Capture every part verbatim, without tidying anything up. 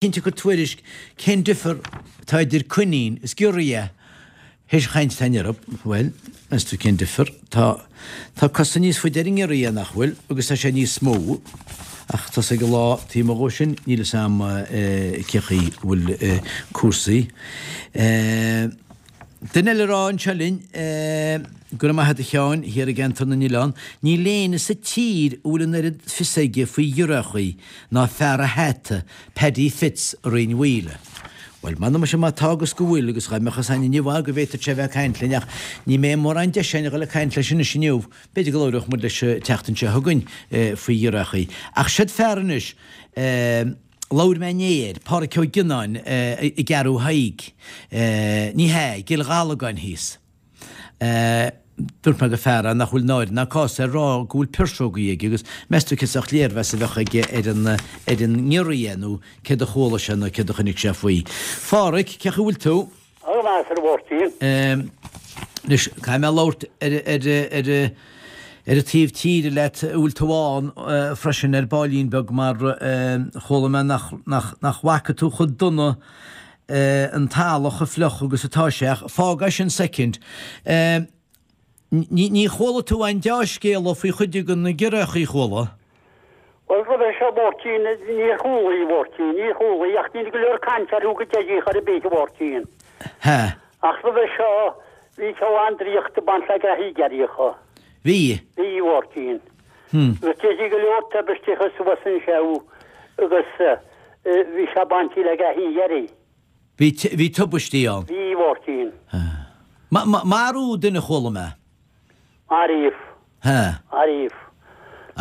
Cinnte ag cur tuairisc cén difear atá idir coinín is giorria théis chaint atá in Europe. Bhuel, meas tú cén difear? Tá tá cosa níos faide ar an ngiorria, nach bhfuil, agus tá sé níos mó. Ach tá ag an lá taobh amuigh dhó sin, níl fhios a'm cé chaoi a bhfuil cúrsaí. Duine eile a rá anseo linn, Go raibh maith a't a Sheáin, thiar i gCeantar na nOileán, níl éinne sa tír a bhfuil an oiread fios aige faoi ghiorriachaí ná fear a' hata, Paddy Fitz i Rinn Mhaoile. Bhuel, m'anam muise má tá agus go bhfuil, agus dhá mbeadh fhios a'inn inniu go bhféadfadh sé a bheith ag caint linn, ach ní mbeidh mórán deis a'inn a dhul ag caint leis anois inniu, b'fhéidir go labhródh muid leis an tseachtain seo chugainn faoi ghiorriachaí. Ach seod fear anois, labhair mé inné air, Pádhraic Ó Gionnáin i gCeathrú Thaidhg, ní hea, i gCill Ghallagáin thíos. Dúirt mé gur fear é nach bhfuil náire ná cás air rá go bhfuil pirsógaí aige agus meas tú cén sórt léirmheas a bheadh aige ar an ar an ngiorria nó céard a chuala sé nó céard a chonaic sé faoi. Phádhraic, cén chaoi a bhfuil tú? Go maith, a Mháirtín. Anois, caithfidh mé labhairt ar ar ar ar an taobh tíre leat a bhfuil tú ann freisin ar baillín beag mar chuala mé nach nach nach bhfaca tú chomh dona an talamh chomh fliuch agus atá sé ach fág é sin soicind. Ní ní chuala tú aon deá-scéala faoi chuid de na giorriachaí, chuala? Bhuel, roimhe seo, a Mháirtín, níor chuala, a Mháirtín, níor chuala, ach níl go leor cainte orthu go deimhin chor ar bith, a Mháirtín. Hea. Ach roimhe seo, bhí a lán draíochta ag baint le graithí giorriacha. Bhí? Bhí, a Mháirtín. Agus deirtí go leor tubaisteacha suas anseo agus bhí sé bainte le graithí giorria. Bhí, bhí tubaistí ann. Bhí, a Mháirtín. Ma, ma, marú duine chuala mé. Maraíodh. Ha. Maraíodh.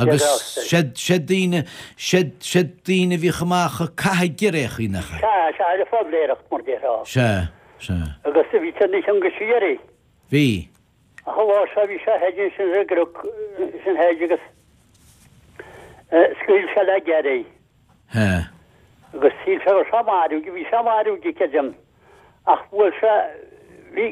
Agus seod, seod daoine, seod, seod daoine a bhíodh amach ag caitheamh giorriachaí, nach ea? Sea, sea, ar an phoibléireacht, mar déarfá. Sea, sea. Agus bhí siad níos iongaisí uirthi. Bhí. Ach an lá seo bhí sé thoir ansin ar an gcnoc sin thoir agus scaoil sé le giorria. Hea. Agus shíl sé go raibh sé marbh, bhí sé marbh, creidim, ach bhuail sé, bhí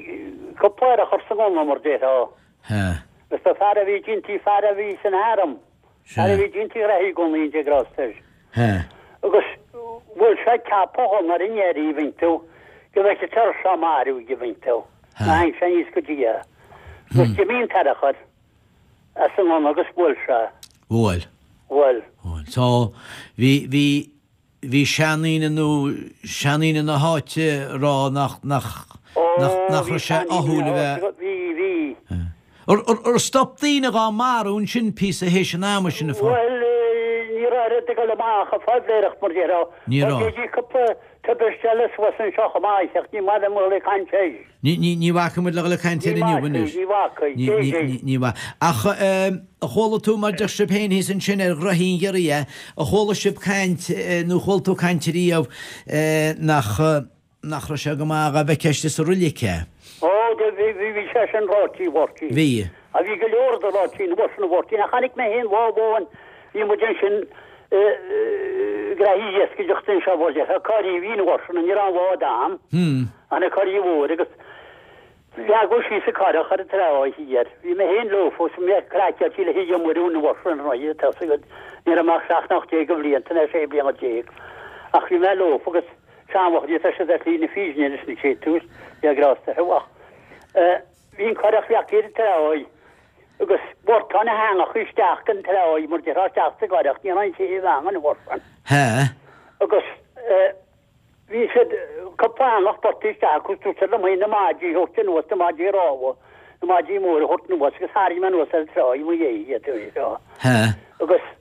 cúpla urchar sa ngunna, mar déarfá. Hea. Agus ba fear a bhí ag fear a bhí san arm, fear a bhí ag déanamh graithí gunnaí an dé grásta air. Hea. Agus bhuail sé ceapadh a ghunna ar an ngiorria, an bhfeiceann tú, go bhfeicfeadh sé raibh sé marbh, an bhfeiceann tú. Hea. Ná tháinig sé aníos go dtí é. Agus d'imigh an t-urchar as an ngunna agus bhuail sé. Bhuail. Bhuail. Bhuail. So, bhí, bhí, bhí seandaoine nó seandaoine na háite ag rá nach, nach, nach, nach raibh sé ádhúil a bheith. Bhí, bhí. Ar, ar, ar stop daoine dhá marú ansin píosa théis an ama sin a pha. Bhuel, ní raibh oiread ag dul amach ag phoibléireacht mar déarfá. Ní raibh. Bhí cúpla tubaiste eile suas anseo chomh maith ach ní maith liom a dhul ag caint air. Ní, ní, ní bhacfaidh muid le dhul ag caint air Ní inniu bhacfaidh, anois. ní bhacfaidh, Ní, cé ní, hé? ní, ní bhac. Ach eh, a chuala tú mar deir sibh féin thíos ansin ar ghraithí an ghiorria, a chuala sibh caint eh, nó chuala tú caint ariamh eh, nach, nach raibh sé go maith dhá bhfeicfeá istigh sa roilig é? Ó, do bhí, bhí, bhí sé sin ráite, a Mháirtín. Bhí. A bhí go leor de ráite an uair sin, a Mháirtín, ach chonaic mé féin lá amháin, bhí muid ansin eh, graithí iascaireachta anseo, bhuel, déarfá, coirí a bhí an uair sin, ní raibh an bád a'm, ach na coirí mhóra agus leagadh síos an curach ar an trá thiar. Bhí mé féin leofa agus mé craiceáilte le hIarraidh Muireann an uair sin, ar ndóigh, tá 'fhios agat, ní raibh mé ach seacht nó ocht déag de bhlianta nó sé bliana déag, ach bhí mé leofa agus seanfhocail tá siad ar shlí na fírinne anois na chéad tús, Dia grásta orthu, ach eh, bhí an curach leagtha ar an tráigh agus bhortáin na heangacha isteach den tráigh mar déarfá isteach sa gcurach, ní raibh aon chéibh ann an uair sin. Hea. Agus eh, bhí siad cúpla eangach bortaithe isteach agus dúirt siad liom féin na maidí a thabhairt anuas, na maidí rámha, na maidí móra a thabhairt anuas agus tharraing mé anuas ar an tráigh i mo dhéidh iad, Hea. Agus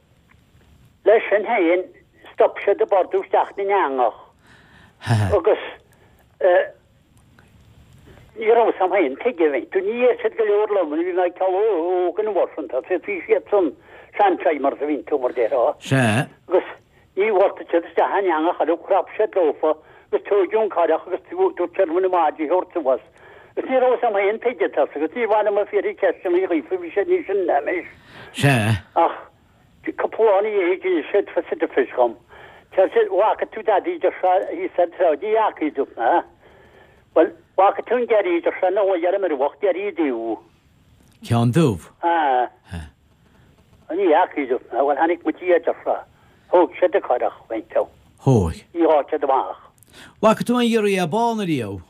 leis sin féin stop siad ag bordú isteach na n-eangach. Hea. Agus eh, ní raibh 'fhios a'm féin tuige bhí tú ní dheir siad go leor liom bhí mé ag óg an uair sin tá siad bhí siad san seantimers a bhíonn tú mar déarfá. Sea. Agus ní bhortaigh siad isteach an eangach eile chrap siad leofa agus tóigeadh an curach agus dúirt siad liom na maidí a thabhairt suas. Agus ní raibh 'fhios a'm féin tuige tá agus ní mhaith liom a fiafraí ceisteanna dhaofa bhí siad níos sine ná mé. Sea. Ach cúpla lá ina dhiaidh d'inis siad fios dhom. Deir siad bhfaca tú dadaí deir sé thíos ar an trá ní fhaca dúirt mé. Bhuel bhfaca tú an giorria deir sé ina luí ar an mbruach giorria dubh. Ceann dubh. Ah. Hea. Ní fhaca dúirt mé, bhuel chonaic muid é deir sé. Thóg siad an curach, bhfeiceann tú. Hóigh. Ní raibh siad amach. Bhfaca tú an giorria bán ariamh?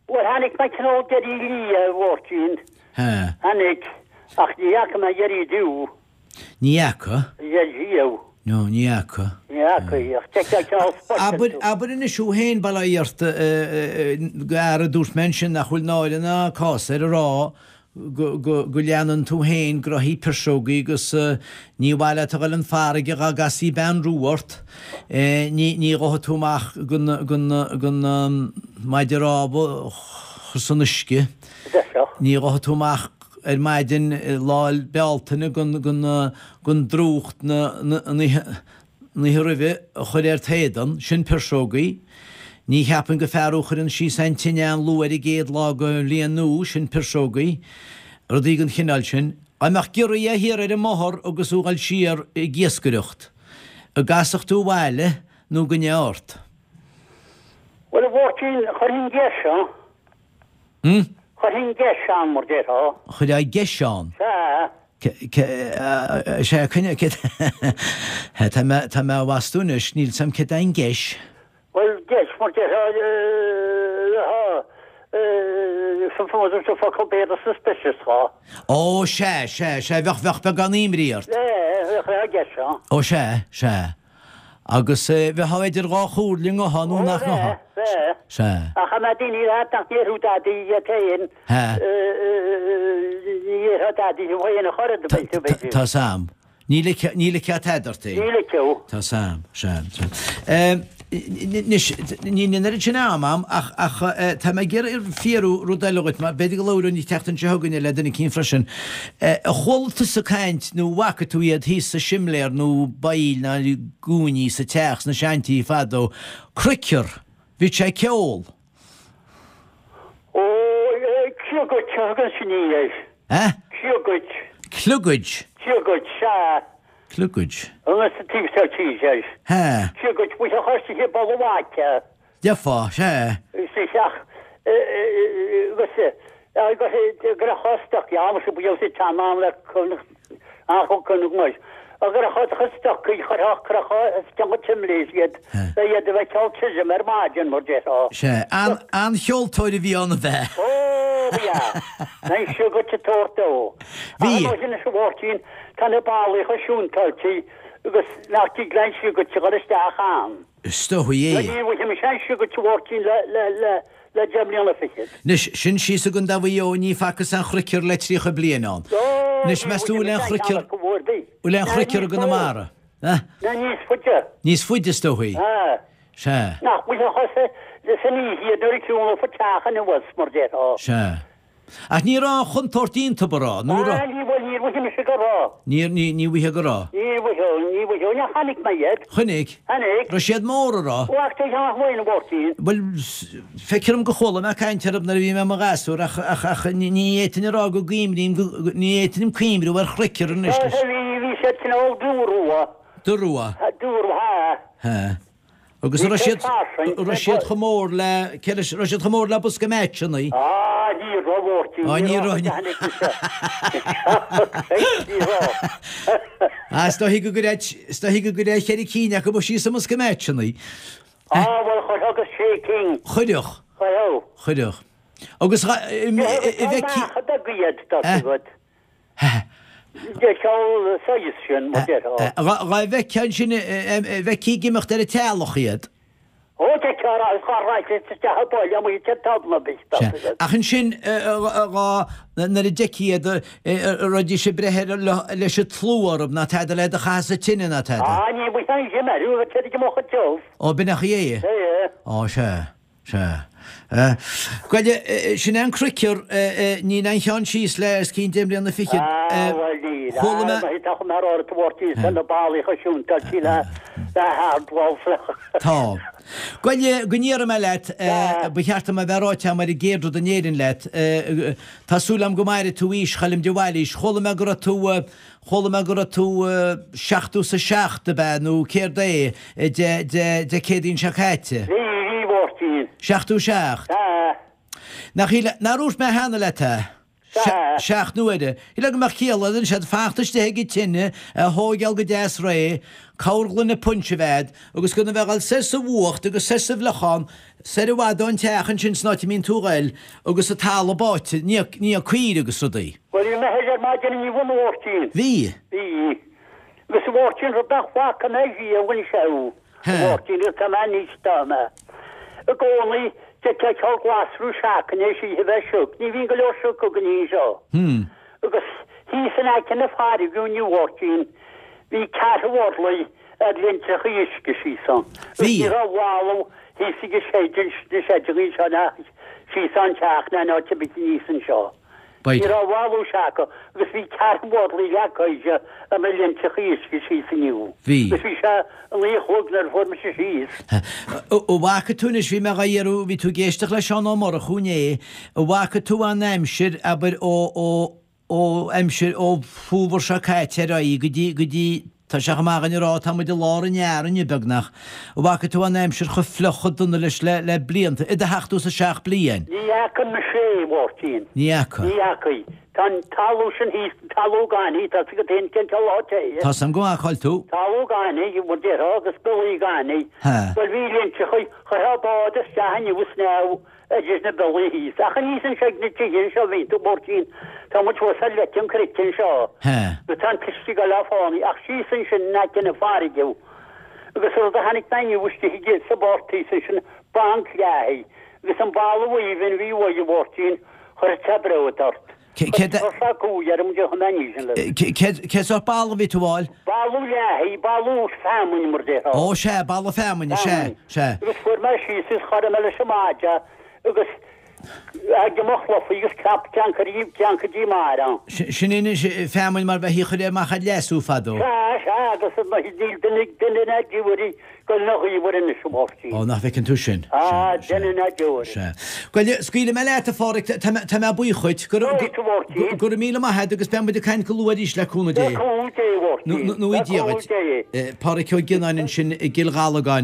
Bhuel, tháinig mé cineál giorria liath, a Mháirtín. Hé. Tháinig, ach ní fhaca mé giorria dubh. Ní fhaca? Riamh. No, ní fhaca. Ní fhaca, ach d'fheicfeá cineál spota. Abair, abair anois thú féin, bail ó Dhia ort, gar a dúirt mé ansin nach bhfuil náire ná cás air a rá go, go, go leanann tú féin graithí pirseogaí agus ní mhaith leat a dhul an farraige dhá gcasfaí bean rua ort. Ní, ní ghabhfaidh tú amach gan, gan, gan maide rámha a chur san uisce. Ní ghabhfaidh tú amach ar maidin Lá Bealtaine gan, gan, gan drúcht na, na, an oíche, an oíche roimhe a chur ar t'éadan. Sin pirseogaí. Ní cheapaim gur fear thú a chuireann síos an tine an-luath ar an gcéad lá den bhliain nua, sin pirseogaí, rudaí den chineál sin. Dá mbeadh giorria thiar ar an mbóthar agus thú ag dul siar ag iascaireacht, an gcasfadh tú abhaile nó goidé ort? Bhuel, a Mháirtín, chuirfinn geis ann. Hm? Chuirfinn geis ann, mar déarfá. Chuirfeá geis ann? Sea. Sea, coinne, tá mé, tá mé á bhastú anois, níl 's a'm céard é an geis. Bhuel, geis, mar déarfá, sa focal Béarla suspicious, dhá. Ó, sea, sea, sea, bheadh, bheadh beagán imní ort. Bheadh, bheadh geis ann. Ó, sea, sea. Agus bheifeá idir dhá chomhairle, an ngabhfá nó nach ngabhfá. Bheadh, bheadh. Sea. Ach an mbeadh daoine leat nach ndéarfadh dadaí iad féin, ní dhéarfadh dadaí thú féin a chur i do bheirt. Tá 's a'm. Ní ligfeá tada ort é. Ní ligfeadh. Tá 's a'm, sea, sea. Anois, níl an oiread sin ama a'm ach, ach tá mé ag iarraidh fiafraí rud eile dhuit, mar b'fhéidir go labhróinn an tseachtain seo chugainn le duine eicínt freisin. Ar chuala tusa caint nó bhfaca tú iad thíos sa simléar nó baill na gcúinní sa teach sna seantithe fadó, criocar, bhíodh sé ag ceol. Ó, cliogaid, a thugann sin air. Eh? Cliogaid. Cliogaid? Cliogaid, sea. Cliogaid. Agus sa taobh seo tíre air. Hea. Cliogaid, bhí a chur sa bpoll amháin. Dearfá, sea. Isteach, agus agus gur a stoc, ja, mar sin bhí sé teann am le cun Agus a chod chun stocaí chuirfeadh crocha is ceann timléis iad le iad a bheith ceol tirim ar maidin mar déarfá. Sea, an-cheoltóir a bhí ann ab ea? Ó, ba ea. An siúgait a tabhairt dó. Bhí. Ach anois anois a Mháirtín, tá na ballaí chomh siúntáilte agus nach dtig le an siúgait a dhul isteach ann. Is dóigh é. Ní bhfaighidh mise an siúgait a Mháirtín le, le, le, le deich mbliana fichead. Anois, sin síos i gContae Mhaigh Eo, ní facthas aon chruicear le tríocha bliain ann. Anois, meas tú bhfuil aon chruicear, bhfuil aon chruicear i gConamara? Ná níos faide. Níos faide, is dóichí. Sea. Nach bhfuil a chosa san oíche nuair a ciúnófar teach anuas, mar déarfá. Sea. Ach ní raibh aon chontúirt iontu, an raibh? Nó raibh? Ah, ní bhfuil, ní bhfuil mise go raibh. Ní, ní, ní bhfuil go raibh. Ní bhfuil, ní bhfuil, ní chonaic mé iad. Chonaic? Chonaic. Raibh siad mór, an raibh? Ó, ach tá ceann amháin, a Mháirtín. Bhuel, feictear dom gur chuala mé caint orthu nuair a bhí mé i mo ghasúr ach, ach, ach ní, ní fhéadfainn a rá go gcuimrím, go, ní fhéadfainn cuimhniú ar chruicear anois. Bhí, bhí siad cineál dúrua. Dúrua? Dúrua, ha. Ha. Agus an raibh siad, an raibh siad chomh mór le, cé leis, raibh siad chomh mór le bosca meaitseanna? Á, ní raibh, a Mháirtín, Á, ní raibh, ní Ní raibh. Á, is dóichí go gcuirfeadh, is dóichí go gcuirfeadh ceithre cinn acu síos i mbosca meaitseanna. Á, bhuel, chuirfeadh agus sé cinn. Chuirfeadh. Chuirfeadh. Chuirfeadh. Agus, a bheith. Tá beaga iad, tá agat. De cheol saghas sin, mar déarfá. Dhá bhfeicfeá ansin, bhfeicfí ag imeacht ar an teallach iad. Ó, d'fheicfeá ar aghaidh, char raibh siad isteach i bpoll amuigh te talamh ar bith, tá Sea. Ach ansin, dhá, nuair a d'fheicfí iad, raghaidís ag breith ar leis an tslua orthu, ná tada le iad a chaitheamh sa tine ná tada. Á, ní bhfuil aon shuim orthu, bheadh siad ag imeacht tiubh. Ó, b'in é é. Sea. Ó, sea. Sea. Bhuel, sin é an criocar, níl aon cheann síos le os cionn deich mbliana fichead. Ah, bhuel, níl. Chuala mé. Ah, tá chomh maith ar Mháirtín san na ballaí chomh siúntáilte le le hard wolf. Tá. Bhuel, go ndéarfaidh mé leat, ba cheart dom a bheith ráite agam ar an gcéad rud in Éirinn leat, tá súil agam go mairfidh tú aois Choilm de Bhailís. Chuala mé go raibh tú, Chuala mé go raibh tú seachtó 's a seacht, ab ea, nó céard é, Dé, Dé, Dé Céadaoin seo caite? Bhí, bhí, a Mháirtín. Seachtó seacht? Sea. Nach shíl, nár dhúirt mé cheana leat é? Sea. Seacht n-uaire. Shílfeá go mbeadh ciall leis ansin fanacht istigh ag an tine, é a thóigeáil go deas réidh, corrghloine punch a bheith a'd, agus gan a bheith ag dul soir sa bhfuacht agus soir sa bhfliuchán, soir i bhfad ón teach ansin san áit a mbíonn tú a ghoil, agus an talamh báite, ní caoirigh agus rudaí. Bhuel, bhí mé ar maidin inniu a Mháirtín. Bhí. Bhí. Agus a Mháirtín, rud nach bhfaca mé riamh anseo, a Mháirtín, agus tá mé anois, tá mé i gcónaí, d'fheicfeá cineál glasra seachain é sí a bheith sioc. Ní bhíonn go leor sioc againn anseo. Agus thíos in aice na farraige inniu, a Mháirtín, bhí ceathrú orlaigh ar leintreacha uisce síos ann. Agus Bhí. ní raibh bhalbh thíos ag an seid, na seideanna anseo ná síos an teach ná in áit ar bith aníos anseo. B'fhéidir. Ní raibh bhalbh seaca agus bhí ceathrú orlaigh leacaithe ar na leintreacha uisce síos inniu. Bhí. Agus bhí sé a naoi a chlog nuair a fuair mise síos. An bhfaca tú anois, bhí mé dhá iarraidh, bhí tú ag éisteacht le Seán Ó Murchú inné, an bhfaca tú an aimsir, abair, ó, ó, ó aimsir, ó fómhar seo caite ar aghaidh go dtí, go dtí, tá sé chomh maith againn a rá, tá muid i lár an earraigh inniu beagnach, an bhfaca tú an aimsir chomh fliuch chomh dona leis le, le blianta, i do sheachtó is a seacht bliain? Ní fhaca mise é, a Mháirtín. Ní fhaca. Ní fhaca. Tá an talamh sin thíos, an talamh gainimh, tá a fhios agat féin cén cineál áit é. Tá a fhios agam go maith cá bhfuil tú. Talamh gainimh, mar déarfá, agus biollaí gainimh. Ha. Bhuel bhí leintreacha, chuirfeá bád isteach inniu is snámh idir na biollaí thíos. Ach aníos anseo ag na tithe anseo a bhíonn tú, a Mháirtín, tá muid thuas ar leic an chnoic anseo. Ha. Agus tá an t-uisce ag dul le fánaí, ach síos ansin in aice na farraige. Agus an rud a chonaic mé inniu istigh aige sa bpáirc thíos ansin, banc leathaigh. Agus an boladh aoibhinn a bhí uaidh, a Mháirtín, chuirfeadh sé bród ort. Cé- cé- Chuir sé cumhaidh orm de chun aníos an le. Cé, cé sórt boladh a bhí tú a fháil? Boladh leathaigh, boladh feamainn mar déarfá. Ó sea, boladh feamainne, sea, sea. Agus fuair mé síos is char mé leis an maide agus ag mo chlufaí agus ceap ceann ceann dí mar ann. Sin anois feamainn mar bheithí a chur amach ar leasú fadó. Sea, sea, agus níl duine duine ná diabhair go na ghaobhair anois a Mháirtín. Ó, nach bhfeiceann tú sin. Ah, Sea, duine ná diabhair. Sea. Bhuel, scaoilfidh mé leat a Pháraic, tá mé- tá mé buíoch dhuit. Go Buíoch, a Mháirtín. go raibh míle maith agat agus beidh muid ag caint go luath arís le cúnamh Dé. Le cúnamh Dé, a Mháirtín. Nó i Le cúnamh Dia Dé. dhuit. Páraic Ó Gionnáin ansin i gCill Ghallagáin.